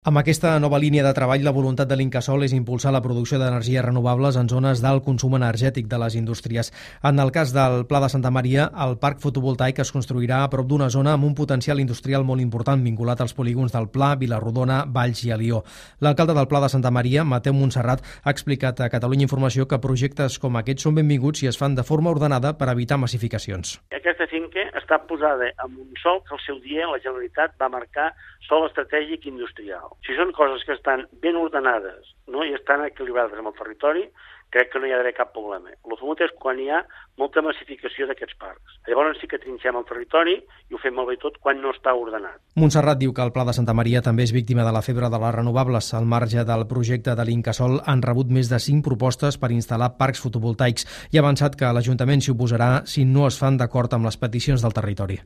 Amb aquesta nova línia de treball, la voluntat de l'Incasòl és impulsar la producció d'energies renovables en zones d'alt consum energètic de les indústries. En el cas del Pla de Santa Maria, el parc fotovoltaic es construirà a prop d'una zona amb un potencial industrial molt important vinculat als polígons del Pla, Vilarrodona, Valls i Alió. L'alcalde del Pla de Santa Maria, Mateu Montserrat, ha explicat a Catalunya Informació que projectes com aquests són benvinguts i es fan de forma ordenada per evitar massificacions. Aquesta finca està posada en un sòl que al seu dia la Generalitat va marcar sòl estratègic industrial. Si són coses que estan ben ordenades, no, i estan equilibrades amb el territori, crec que no hi ha d'haver cap problema. El fumut és quan hi ha molta massificació d'aquests parcs. Llavors sí que trinxem el territori i ho fem molt bé tot quan no està ordenat. Montserrat diu que el Pla de Santa Maria també és víctima de la febre de les renovables. Al marge del projecte de l'Incasòl han rebut més de 5 propostes per instal·lar parcs fotovoltaics i ha avançat que l'Ajuntament s'hi oposarà si no es fan d'acord amb les peticions del territori.